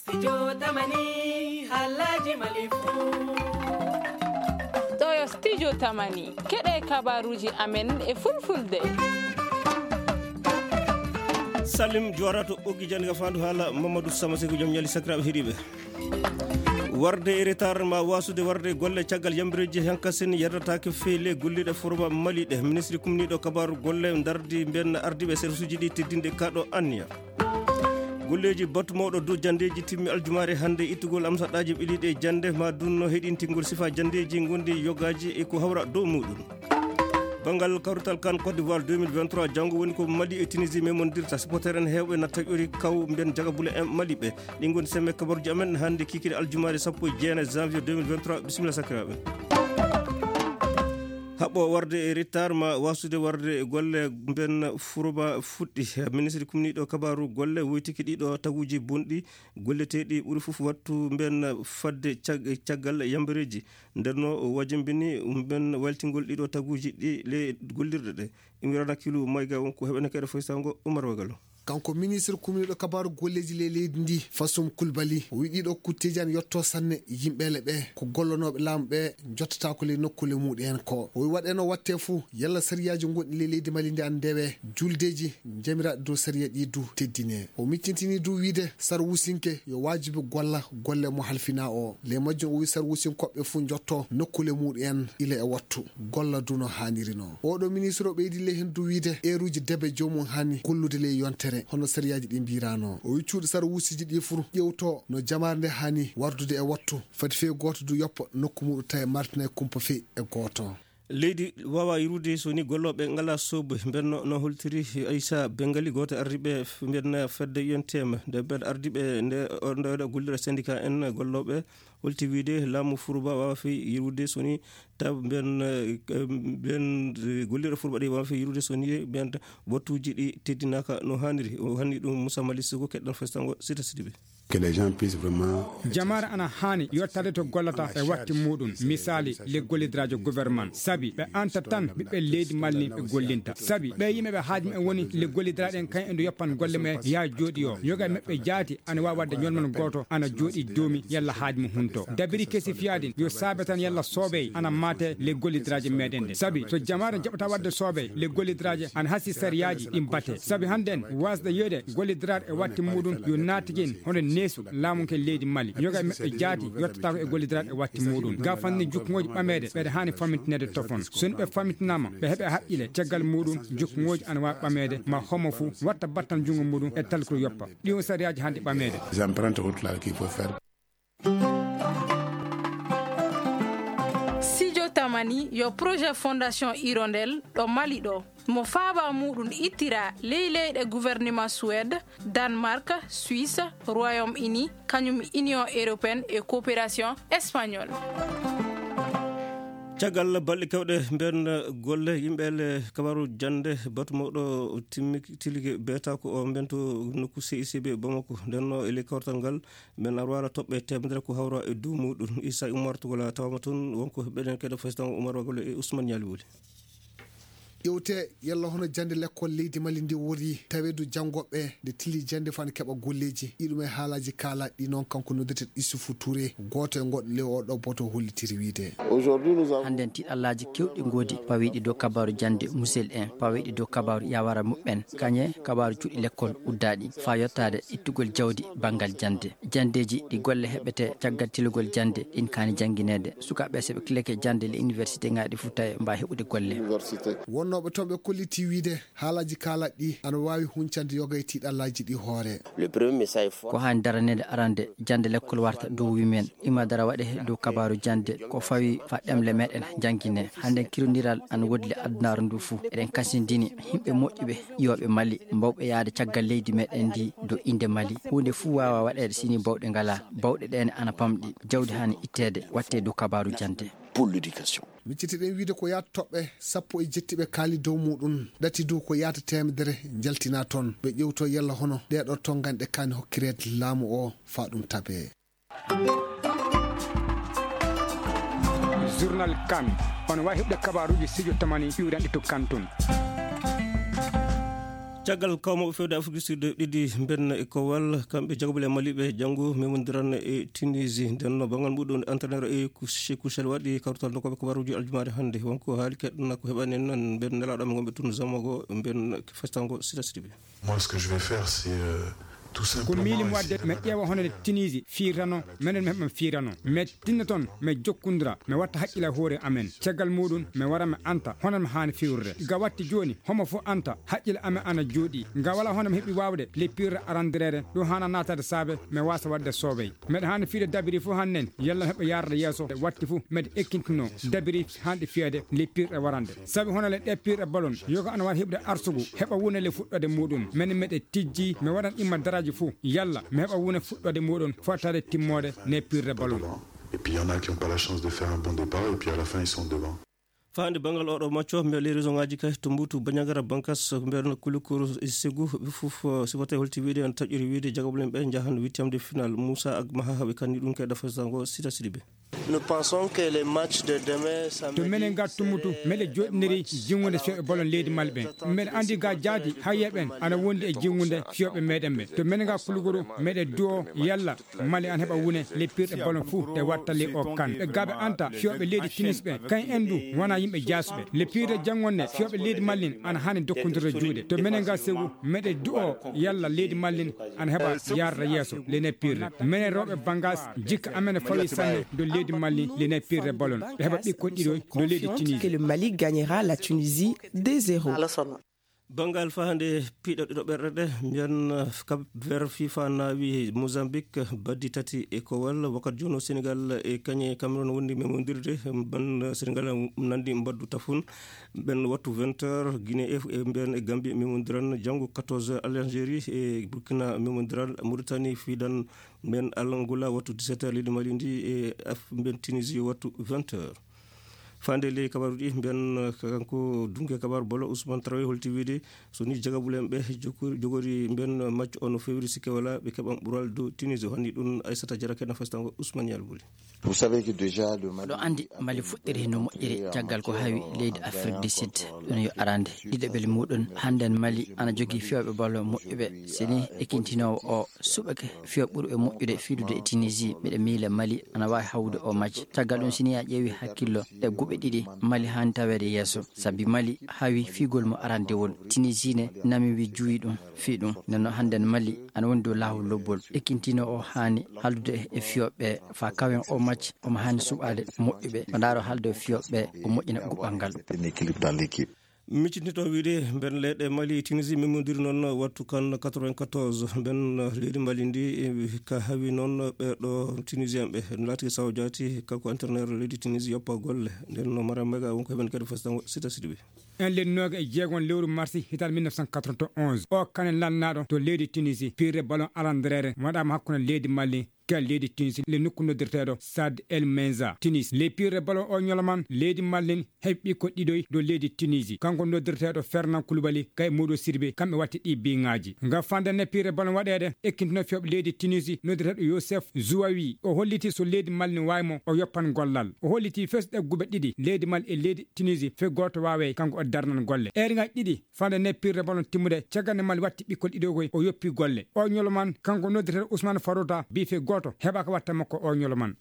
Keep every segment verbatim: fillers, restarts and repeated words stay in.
Studio Tamani, haalaaji Mali fuu. Ɗo yo Studio Tamani, keɗe kabaruuji amen e fulfulde. Salim Juwarato, ɓoggi jannde ka faandu haala Mamadou Sama Seku, jom ñali sakiraaɓe heɗiiɓe. Warde e retard ma wasude warde golle caggal yambireeji hankasen yerdataake feele golliɗe forba Mali ɗe. Ministre kumniiɗo kabaaru golle ndardi mben ardiiɓe service uji ɗi teddinde kaɗo anniya. Golleeji batu mawɗo dow janndeeji timmi aljumaare hannde, ittugol amsaɗaaji ɓiliiɗe jannde ma dunno heɗintingol sifa janndeeji ngondi yogaaji e ko hawra dow muɗum. Banngal kawrital kan Côte d'Ivoire deux mille vingt-trois, janngo woni ko Mali e Tunisie memondirta. Supporter en heewɓe na taƴori kaw mben jagabule en Mali ɓe. Ɗi ngoni semme kabaruji amen hannde kikiri aljumaare sappo e jeenayi janvier deux mille vingt-trois. Bisimilla sakiraaɓe. Haɓɓo warde e retard ma wasude warde e golle mben furuba fuɗɗi. Ministre kumniiɗo kabaru golle woytiki ɗiɗo taguji bonɗi golleteeɗi ɓuri fof wattu mben fadde cag-, caggal yambareeji. Nden no o wajimbini mben waltingol ɗiɗo taguji ɗi le gollirɗe ɗe. Imrana Kilu Mayga won ko heɓene kayɗo foysango Umar Wagalo. Kanko ministre kumniiɗo kabaaru golleeji ley leydi ndi, Fasum Kulbali, o wi'i ɗiɗo kutteeji ana yotto sanne yimɓeele ɓe, ko gollanooɓe laamu ɓe jottataako ley nokkuule muɗum en ko. O wi'i waɗeno watte fuu, yalla sariyaaji gonɗi ley leydi Mali ndi ana ndewe, juldeeji jamiraaɗi dow sariya ɗi du teddine. O miccintini du wiide sar wusinke yo waajibi golla golle mo halfinaa o. Ley majjum o wi'i sar wusinkoɓe fuu jotto nokkuule muɗum en ila e wattu. Golla du no haaniri no. Oɗo ministre o ɓeydi ley heen du wiide eeruuji debe joomum haani gollude ley yontere, hono sariyaaji ɗi mbiiraano. O wi'i cuuɗi sar wusiiji ɗi fuu ƴewto no jamaare nde haani wardude e wattu. Fati fee gooto du yoppa nokku muɗum tawi martinay kumpa fii e gooto. Leydi waawaa yirude so ni gollooɓe ngalaa soobe. Mbenno no holtiri Aissa Bengali, gooto ardiiɓe f-, mbenna fedde U N T M. Nde mbeɗa ardiiɓe nde, o, nde, nde gollira syndicat en gollooɓe, holti wiide laamu Furuba waawaa fii yirude so ni taw mben, eh, mben, eh, gollira Furuba ɗi waawaa fii yirude so ni mben wattuuji ɗi teddinaaka no haaniri. O hanni ɗum Moussa Malick Sougou, keɗɗen festango Sita Sidibé. Que les gens puissent vraiment Jamaare ana haani yottade to gollata e watti muɗum. Misaali, le gollidiraajo gouvernement. Sabi ɓe anta tan ɓiɓɓe leydi Mali ɓe gollinta. Sabi ɓe yimɓe ɓe haaju mumen woni le gollidiraaɗo en kan e ndu yoppan golle mumen yaa jooɗi o. Yoga e maɓɓe jaati ana waawi waɗde ñolmano gooto ana jooɗi doomi yalla haaju mum hunto. Dabiri kesi fiyaade yo saabe tan yalla soobey ana maate le gollidiraajo meɗen nde. Sabi so jamaare jaɓata waɗde soobey le gollidiraajo ana hasi sariyaaji ɗi mbate. Sabi hannden wasde yeede gollidiraaɗo e watti muɗum yo naatigen hono neesu laamu ke leydi Mali. Yoga e maɓɓe jaati yottataako e gollidiraaɗo e watti muɗum. Ga fanni jukngooji ɓameede ɓeɗe haani famintineede tofon. So ni ɓe famintinaama ɓe heɓe haqqile caggal muɗum jukngooji ana waawi ɓameede ma homo fuu watta battal junngo muɗum e talkuru yoppa. Ɗi on sariyaaji hannde ɓameede. Les empreintes routières qu'il faut faire. Sijo Tamani yo projet Fondation Hirondelle ɗo Mali ɗo. Mo faaba muɗum ittira ley leyɗe gouvernement Suède, Danemark, Suisse, Royaume-Uni, kañum Union Européenne e Coopération Espagnole. Caggal balɗe kewɗe mben golle yimɓe le kabaru jannde batu mawɗo timmi tilike beeta ko o mben to nokku C I C B Bamako. Nden no e le kawtal ngal men arwara toɓɓe temedere ko hawra e dow muɗum. Issa Oumar Togola tawama toon wonko ɓeɗen keɗo festango Oumar Wagolo e Ousmane Ñaali Wuli. Ƴewte yalla hono jannde lekkol leydi Mali ndi wori taweedu janngooɓe nde tili jannde fana keɓa golleeji. Iɗum e haalaaji kaalaaɗi noon kanko noddeteeɗo Issoufou Touré, gooto e goɗɗo ley o ɗo boto hollitiri wiide. Hannden tiɗallaaji kewɗi ngoodi pawiiɗi dow kabaaru jannde musel en, pawiiɗi dow kabaaru yawara muɓɓen, kañe kabaaru cuuɗi lekkol uddaaɗi, faa yottaade ittugol jawdi banngal jannde. Janndeeji ɗi golle heɓete caggal tilugol jannde ɗin kaani janngineede. Sukaaɓe so ɓe kilake jannde le université ŋaaɗi fof tawi mbaa heɓude golle. Wonnooɓe toon ɓe kolliti wiide haalaaji kaalaaɗi ɗi ana waawi huncande yoga e tiiɗallaaji ɗi hoore. Ko haani daraneede arande jannde lekkol warta dow wimen. Ima dara waɗe dow kabaaru jannde ko fawi fa ɗemle meɗen janngine. Hannden kirondiral ana woodi le adunaaru ndu fof. Eɗen kasindini yimɓe moƴƴuɓe ƴiwooɓe Mali mbawɓe yahde caggal leydi meɗen ndi dow innde Mali. Huunde fuu waawaa waɗeede sini bawɗe ngalaa. Bawɗe ɗeen ana pamɗi. Jawdi haani itteede waɗtee dow kabaaru jannde. Pour l'éducation. Miccitiɗen wiide ko yaata toɓɓe sappo e jetti ɓe kaali dow muɗum. Ɗati dow ko yaata teemedere njaltina toon. Ɓe ƴewto yalla hono ɗeeɗo toon ganɗe kaani hokkireede laamu o faa ɗum tabee. Journal Kan. On waawi heɓde kabaaruuji Sijo Tamani iwranɗi to Kan tun. Caggal kawmooɓe fewde Afrique du Sud ɗiɗi mbenna e kowal, kamɓe jagabule e Mali ɓe janngo memondiran e Tunisie. Nden no banngal muɗum entraîneur e Cheikhou Chel waɗi kawtal nokkoɓe kabaruji aljumaare hannde. Wonko haali keɗɗon ko heɓani en non mben nelaaɗo men gonɓe tun Zamogo mben festango sita sita ɓe. Moi, ce que je vais faire, c'est, euh, tout ko simplement miili mo wadde essayer mi ƴeewa hono Tunisie fiirtano, menen mi heɓa fiirtano. Mi tinna toon, mi jokkondira, mi watta haqqille e hoore amen. Caggal muɗum, mi wara mi anta, hono mi haani fiirde. Ga watti jooni, homo fof anta, haqqille amen ana jooɗi. Ga wala hono mi heɓi waawde, le pire arandireere, ɗum haana naataade saabe, mi waasa waɗde soobey. Meɗa haani fiide dabiri fof hannen, yalla mi heɓa yaarde yeeso, watti fof, meɗa ekkintinoo, dabiri hanɗi fiyeede, le pire e warande. Sabi hono le ɗe pire e balon, yoga ana waɗa heɓde arsugu, heɓa wona le fuɗɗoode muɗum. Men meɗe tijji, mi waɗan imma daraaji fof, yalla mi heɓa wona fuɗɗoode muɗum, fotaade timmoode ne pire e balon. Et puis, il y en a qui ont pas la chance de faire un bon départ, et puis à la fin, ils sont devant. Faande banngal oɗo macco, mbiya les raisons ngaji kay to mbutu Bandiagara Bankas, mbiya no Kulukuru e Segu, ɓe fof, eh, supporter holti wiide, en taƴƴori wiide, jagabulen ɓe njahan huitième de finale. Moussa ak Maha, ɓe kanni ɗum kay dafa sango sita sidi ɓe. Nous pensons que les matchs de demain, to menen ga tummutu, meɗe joɗɗiniri jinngude fiyooɓe ballon leydi Mali ɓen. Meɗe andi ga jaadi, hayye ɓen ana wondi e jinngude fiyooɓe meɗen ɓe. To menen ga Kulukuru, meɗe du'o yalla Mali ana heɓa wune le pirɗe ballon fuu e wattali o kan. Ɓe gaɓe anta fiyooɓe leydi Tunis ɓe, kan en du wona yimɓe jaasuɓe. Le pirɗe janngonde fiyooɓe leydi Mali ana hani dokkondirde juuɗe. To menen ga Segu, meɗe du'o yalla leydi Mali ana heɓa yarda yeeso le ne pirɗe. Menen rewɓe Bangas, jikka amen e fawi sanne do leydi Mali le ne pirɗe ballon. Ɓe heɓa ɓikkon ɗiɗo do leydi Tunis. Que le Mali gagnera la Tunisie deux zéro. Banngal fahande piɗo ɗiɗo ɓerɗe ɗe, mbiyan, eh, Cap Vert, fifa naawi Mozambique baddi tati e kowal. Wakkati jooni o Sénégal e kañe Cameroun wondi memondirde, ban Sénégal nandi mbaddu tafun. Ɓen wattu vingt heures, Guinée e, e mbiyan e Gambie memondiran janngo quatorze heures, Algérie e Burkina memondiran, Mauritanie fidan mbiyan Angola wattu dix-sept heures, leydi Mali ndi e Af-, mbiyan Tunisie wattu vingt heures. Fande ley kabaruɗi, mbiyan, eh, kanko dunke kabaru bolo Ousmane Traoré holti wiide, so ni jagabulen ɓe jokori-, jogori mbiyan match o no fewri sikke wala ɓe keɓan ɓural dow Tunisie, o hanni ɗum Aissata Diarra kena festango Ousmane Yalbuli. Vous savez que déjà le Mali Oɗo andi Mali fuɗɗiri no moƴƴiri caggal ko hawi leydi Afrique du Sud. Ɗum yo arande ɗiɗaɓel muɗum. Hannden Mali ana jogii fiyooɓe bolo moƴƴuɓe. Si ni ekintinowo o suɓake fiyo ɓurɓe moƴƴude fiidude e Tunisie, miɗa miila Mali ana waawi hawrude o match. Caggal ɗum, si ni a ƴeewi hakkillo ɗe guɓe ɗiɗi, Mali haani taweede yeeso. Sabi Mali hawi fiigol mo arandewol. Tunisie ne nami wi juuyi ɗum, fii ɗum. Nden noon hannden Mali ana woni dow laawol lobbol. Ekintino o haani haaldude e fiyooɓe faa kawen o match, omo haani suɓaade moƴƴuɓe. O ndaaro haalde e fiyooɓe, o moƴƴina guɓal ngal. Mettre un équilibre dans l'équipe. Miccintinto wiide, mben leyɗe Mali e Tunisie memodiri noon wattu kan quatre-vingt-quatorze. Mben leydi Mali ndi, eh, ka hawi noon ɓe ɗo Tunisien ɓe. Laati sawo jaati, kanko entraîneur leydi Tunisie yoppa golle. Nden no Mara Mega wonko heɓen kadi fasitango sita sidiɓe. En lennooga e jeegon lewru marsi hitan mille neuf cent quatre-vingt-onze. O kanen lannaaɗo to leydi Tunisie, pirre ballon alandereere waɗaama hakkunde leydi Mali ka leydi Tunisie, le nokku noddirteeɗo Sad El Menza, Tunis. Le pirre ballon o ñoloman, leydi Mali heɓi ɓikko ɗiɗoy dow leydi Tunisie. Kanko noddirteeɗo Fernand Koulibaly kay Modou Sidibé, kamɓe watti ɗi biŋaaji. Ngam fande ne pirre ballon waɗeede, ekkintino fiyooɓe leydi Tunisie, noddirteeɗo Youssef Zouaoui. O holliti so leydi Mali ne waawi mo, o yoppan gollal. O holliti fes ɗe guɓe ɗiɗi, leydi Mali e leydi Tunisie, fe gooto waawey, kanko o darnan golle. Eeri ngaji ɗiɗi, fande ne pirre ballon timmude, caggal nde Mali watti ɓikkol ɗiɗo koy, o yoppi golle. O ñoloman, kanko noddirteeɗo Ousmane Farouta, bi fe gooto heɓa ko watta makko o ñoloman.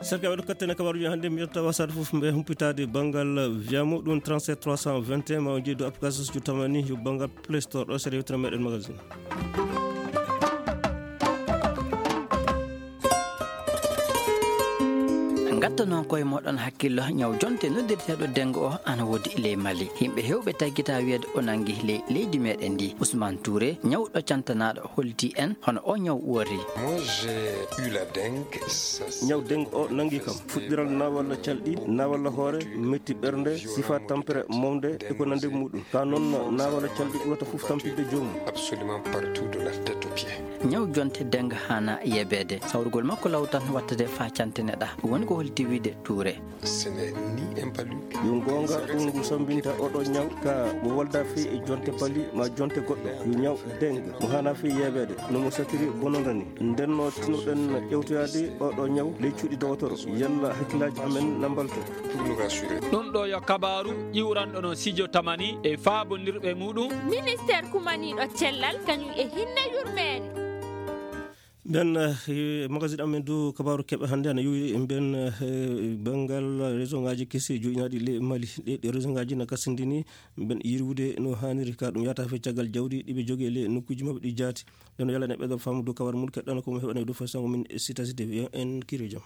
Serka waɗo kattene kabaruji hannde, mi yetta wasade fof mbe humpitaade banngal viyamo ɗum trente-sept trois cent vingt et un, ma o jeeyi dow application so tamani yo banngal Play Store ɗo seeɗa yewtere meɗen magazine. Ngatta noon koye moɗon hakkillo, ñaw jonte noddirteeɗo dengo o ana woodi ley Mali. Yimɓe heewɓe taggita wiyeede o nangi ley leydi meɗen ndi. Ousmane Touré, ñawɗo cantanaɗo, holliti en hono o ñaw uwori. Moi, j'ai eu la dengue, ça, c'est ñaw dengue o nangi kam. Fuɗɗiral na walla calɗi, na walla hoore, metti ɓernde, sifa tampere momde e ko nande muɗum. Ka noon na walla calɗi ɓurata fof tampinde joomum. Absolument partout de la tête aux pieds. Ñaw jonte dengue hana yebeede. Sawrugol makko law tan wattade fa cantene ɗa. Woni ko holi tiwide tuure. Yo goonga, ɗum ngu sammbinta oɗo ñaw ka mo wolda fii e jonte pali ma jonte goɗɗo. Yo ñaw dengue mo hana fii yeebeede no mo satiri bonondani. Ndenno tinuɗen ƴewtoyaade oɗo ñaw ley cuuɗi dowotoro. Yalla hakkillaaji amen na mbalto. Ɗum ɗo yo kabaaru ƴiwranɗo no Sijo Tamani e faabondirɓe muɗum. Ministeer kumaniiɗo cellal kañum e hinne yurmeende. Nden, eh, magazine amen du kabaaru keɓe hannde ana yuwi mben, eh, banngal région ngaji kesi joƴinaɗi le Mali. Ɗe, ɗe région ngaji na kasindini mben yirwude no haniri ka ɗum yata fe caggal jawdi ɗi ɓe jogi le nokkuji maɓɓe ɗi jaati. Nden o yalane ɓe gam famu du kabar mun keɗɗana ko mo heɓana du fasango min sitasi de en kiri jam.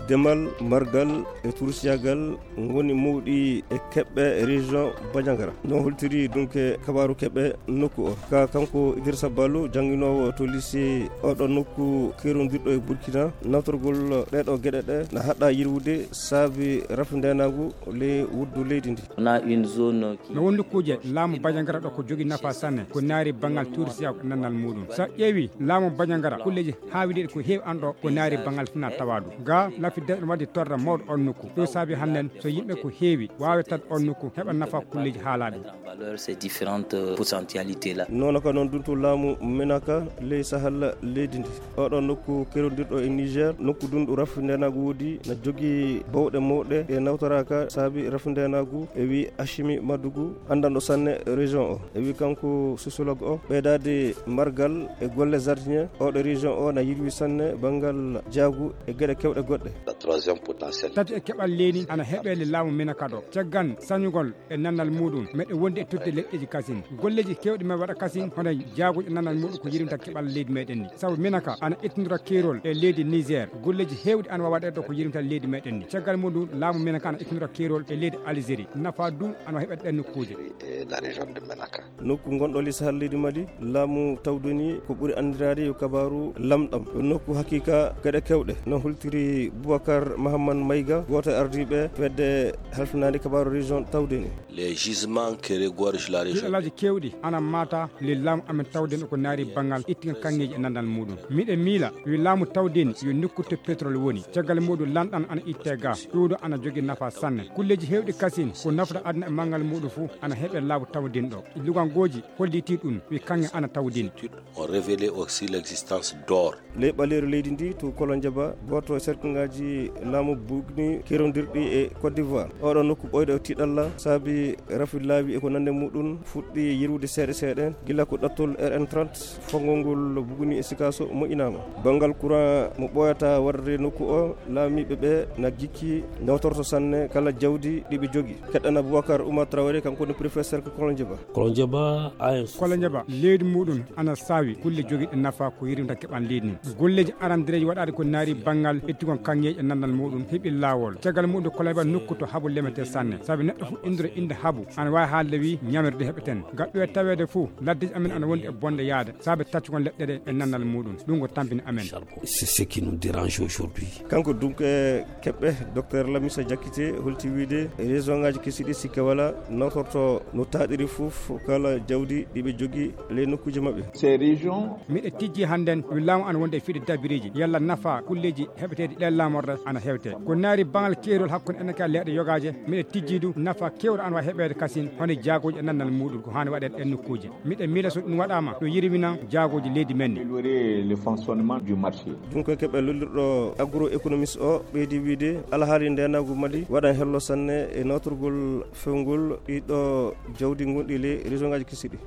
Demal, margal e tursiyagal ngoni mawɗi e keɓɓe région Bandiagara. No holtiri donc e kabaaru keɓɓe nokku o. Ka kanko Idrissa Ballo, jannginoowo to lycée oɗo nokku kerondirɗo e Burkina, nawtorgol ɗeɗo geɗe ɗe na haɗa yirwude saabi rafu ndenagu le wuddu leydi ndi. On a une zone qui No won nokkuuje laamu Bandiagara ɗo ko jogi nafa sanne, ko naari banngal tursiyagal e nannal muɗum. So a ƴeewi laamu Bandiagara, kulleji haawidiiɗi ko heewi an ɗo ko naari banngal fina tawadu. Ga lafi de no waddi torra mawɗo on nokku. Ɗo saabi hannden so yimɓe ko heewi waawe tan on nokku heɓa nafa kulleji haalaɗi. En valeur ces différentes potentialités là. Nono ka noon duntu laamu Menaka ley Sahel leydi ndi. Oɗo nokku kerondirɗo e Niger, nokku dunɗo rafu ndenagu woodi, na jogi bawɗe mawɗe ɗe nawtoraka saabi rafu ndenagu, e wi Ashimi Madugu, anndanɗo sanne région o. E wi kanko sociologue o, ɓeydaade margal e golle jardinier, oɗo région o na yirwi sanne banngal jaagu e geɗe kewɗe goɗɗe. La troisième potentialité. Tati e keɓal leydi ana heɓe le laamu Menaka ɗo. Caggal sañugol e nannal muɗum, meɗe wondi e tudde leƴƴeji kasin. Golleji kewɗi men waɗa kasin, hono jaaguji e nannal muɗum ko yirimta keɓal leydi meɗen ni. Sabu Menaka ana ittindira keerol e leydi Niger. Golleji hewɗi ana wawa ɗeɗo ko yirimta leydi meɗen ni. Caggal muɗum, laamu Menaka ana ittindira keerol e leydi Algérie. Nafa du ana heɓa ɗen nokkuuje. Et la région de Menaka. Nokku ngonɗo li Sahel leydi Mali, laamu tawdoni ko ɓuri anndiraade yo kabaaru lamɗam. Nokku hakiika geɗe kewɗe. No holtiri Boubacar Mahaman Maïga, gooto e ardiiɓe fedde halfinaande kabaaru région tawdoni. Les gisements qui regorgent la région. Piɗalaaji kewɗi ana maata le laamu amen tawdeni ko naari banngal ittigal kaŋŋeeji e nandal muɗum. Miɗe miila wi laamu tawdeni yo nokku to pétrole woni. Caggal muɗum lanɗan ana itte ga. Ɗum ɗo ana jogi nafa sanne. Kulleji hewɗi kasin ko nafata aduna e manngal muɗum fuu ana heɓe laamu tawdeni ɗo. Lugangooji holliti ɗum wi kaŋŋe ana tawdeni. Ont révélé aussi l'existence d'or. Ley ɓaleeru leydi ndi to Kolonjaba, gooto e serkingaaji laamu bugni kerondirɗi e Côte d'Ivoire. Oɗo nokku ɓooyɗo e tiiɗalla saabi rafi laawi e ko nande muɗum fuɗɗi yirwude seeɗa seeɗa gila ko ɗattol R N trente fongol ngol bugni e Sikaso moƴƴinaama. Banngal courant mo ɓooyata warde nokku o, laamiiɓe ɓe na gikki nawtorto sanne kala jawdi ɗi ɓe jogi. Keɗɗana Boubacar Oumar Traoré, kanko woni préfet cercle Kolonjaba. Kolonjaba A S. Kolonjaba, leydi muɗum ana saawi kulle jogiiɗe nafa ko yirimta keɓal leydi ndi. Golleeji arandereeji waɗaade ko naari banngal ɓettigol kaŋŋeeji e nandal muɗum heɓi laawol. Caggal muɗum Kolonjaba nokku to habu lemete sanne. Sabi neɗɗo fof indiro innde habu, ana waawi haalde wi ñamirde heɓeten. Ngal ɗo e taweede fof, laddeeji amen ana wondi e bonde yaade. Sabi taccugol leɗɗe ɗe e nandal muɗum. Ɗum ko tampini amen. C'est ce qui nous dérange aujourd'hui. Kanko donc e keɓɓe, docteur Lamisa Diakité holti wiide région ngaji kesi ɗi sikke wala nawtorto no taaɗiri fof kala jawdi ɗi ɓe jogi ley nokkuji maɓɓe. Ces régions. Miɗe tijji hannden wi laamu ana wonde e fiɗe dabireeji yalla nafa kulleeji heɓeteeɗi ɗen laamorde ana hewte. Ko naari baŋal keerol hakkunde enen ka leeɗe yogaaje, miɗe tijji du nafa keewɗo ana wawi heɓeede kasin hono jaagooji e nandal muɗum ko haani waɗeede ɗen nokkuuji. Miɗen miila so ɗum waɗaama, ɗum yirwina jaagooji leydi men ni. Améliorer le fonctionnement du marché. Ɗum ko keɓe lollirɗo agroéconomiste o ɓeydi wiide alhaali ndenagu Mali waɗan hello sanne e nawtorgol fewngol ɗiɗo jawdi gonɗi ley région ngaji kesi ɗi.